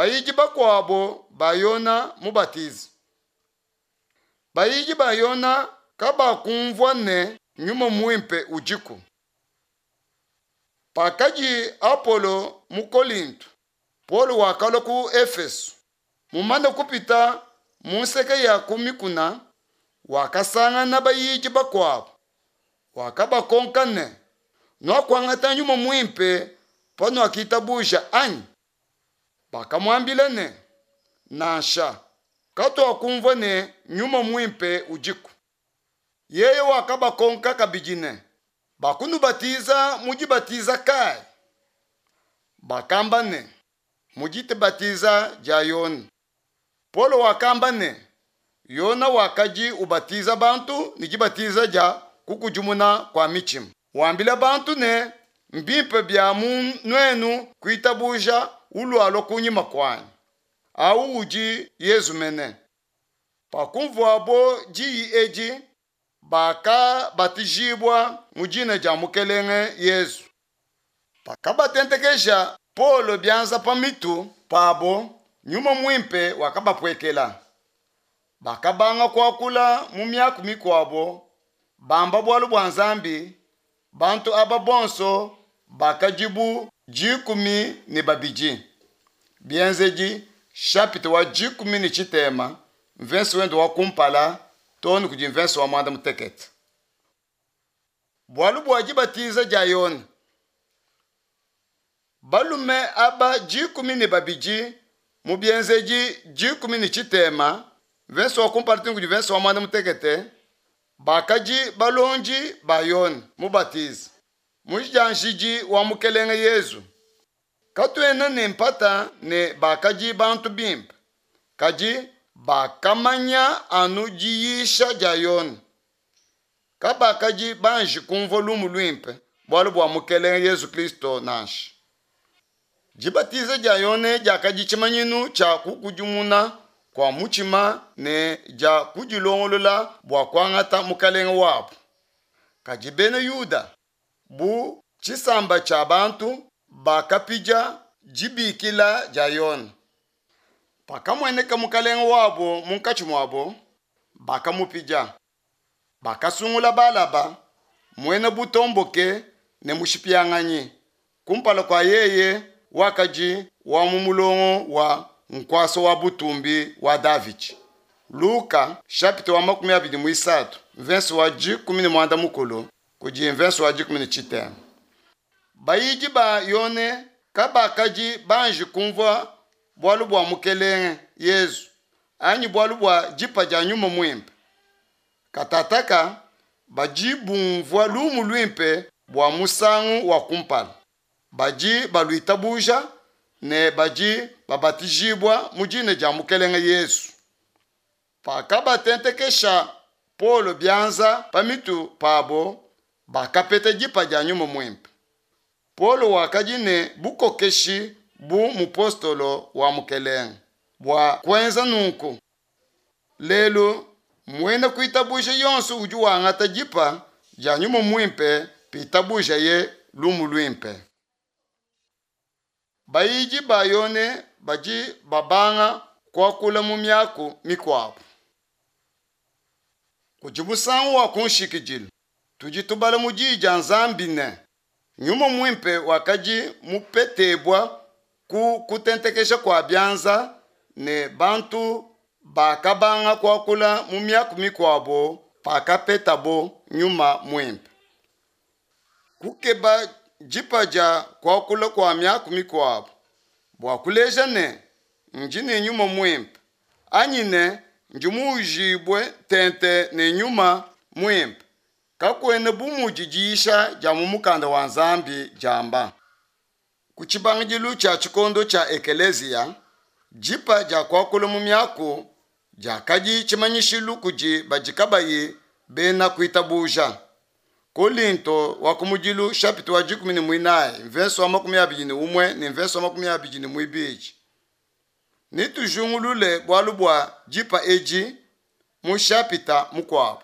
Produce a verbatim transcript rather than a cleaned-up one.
Bayidi bakuabo ba Yona Mubatizi. Bayidi ba Yona kabakumvua ne Nyuma Muimpe udiku. Pakadi Apolo mu Kolinto, Paulo wakalua ku Efeso. Mumane kupita mu nseke ya ku mikuna, wakasangana bayidi bakuabo. Wakabakonka ne, Nuakuangata Nyuma Muimpe panuakitabuja, anyi? Bakamuambila ne, Nansha, katuakumvua ne Nyuma Muimpe udiku. Yeye wakabakonka kabidi ne, Bakunubatiza mu dibatiza kayi? Bakamba ne, Mu dibatiza dia Yone. Paulo wakamba ne, Yona wakadi ubatiza bantu ne dibatiza dia kukudimuna kua mitshima, wambila bantu ne, Mbimpe bia mu nuenu kuitabuja ulualua kunyima kuanyi, au udi Yezu mene. Pakumvuabo diyi edi, bakabatijibua mu dina dia Mukelenge Yesu. Pakabatentekesha Paulo bianza pa mitu pabo, Nyuma Muimpe wakabapuekela. Bakabanga kuakula mu miaku mikuabo, bamba bualu bua Nzambi. Bantu aba bonso bakadi bu dikumi ne babidi. Bienzedi chapitre wa dikumi ne tshitema, mvese wende wa kumpala too ne kudi mvese wa muanda mutekete. Bualu bua dibatiza dia Yone. Balume aba dikumi ne babidi mu Bienzedi dikumi ne tshitema, mvese wa kumpala too ne kudi mvese wa muanda mutekete, bakadi balondi ba Yone Mubatizi, mudianjidi wa Mukelenge Yezu. Katuena ne mpata ne bakadi bantu bimpe, kadi bakamanya anu diyisha dia Yone. Kabakadi banji kumvua lumu luimpe bualu bua Mukelenge Yezu Kristo nansha. Dibatiza dia Yone diakadi tshimanyinu tshia kukudimuna kua mutshima ne dia kudilongolola bua kuangata Mukelenge wabo. Kadi bena Yuda, bu tshisamba tshia bantu, bakapidia dibikila dia Yone. Pakamueneka Mukelenge wabo munkatshi muabo, bakamupidia. Bakasungula Balaba, muena butomboke ne mushipianganyi, kumpala kua yeye wakadi wa mu mulongo wa nkuasa wa butumbi wa Davidi. Luka chapitre wa makumi abidi muisatu, mvese wa dikumi ne muanda mukulu kudi mvese wa dikumi ne tshitema. Bayidi ba Yone kabakadi banji kumvua bualu bua Mukelenge Yezu anyi bualu bua dipa dia Nyuma Muimpe. Katataka badi bumvua lumu luimpe bua musangu wa kumpala, badi baluitabuja ne badi babatijibua mu dina dia Mukelenge Yesu. Pakabatentekesha Paulo bianza pa mitu pabo, bakapeta dipa dia Nyuma Muimpe. Paulo wakadi ne bukokeshi bu mupostolo wa Mukelenge bua kuenza nunku. Lelu muena kuitabuja yonso udi wangata dipa dia Nyuma Muimpe pitabujaye lumu luimpe. Bayidi ba Yone badi babanga kuakula mu miaku mikuabo. Kudi musangu wa kunshikidilu, tudi tubala mu diyi dia Nzambi ne, Nyuma Muimpe wakadi mupetebua ku kutentekesha kua bianza ne bantu bakabanga kuakula mu miaku mikuabo pakapetabo Nyuma Muimpe. Kukeba dipa dia kuakula kua miaku mikuabo bua kuleja ne ndi ne Nyuma Muimpe anyi ne ndi muujibue tente ne Nyuma Muimpe kakuena bu mudi diyisha dia mu mukanda wa Nzambi diamba. Ku tshibangidilu tshia tshikondo tshia ekeleziya, dipa dia kuakula mu miaku diakadi tshimanyishilu kudi badi kabayi bena kuitabuja. Kolinto wa kumudilu chapitre wa dikumi ne muinayi, mvese wa makumi abidi ne umue ne mvese wa makumi abidi ne muibidi. Netujingulule bualu bua dipa edi mu chapitre mukuabo.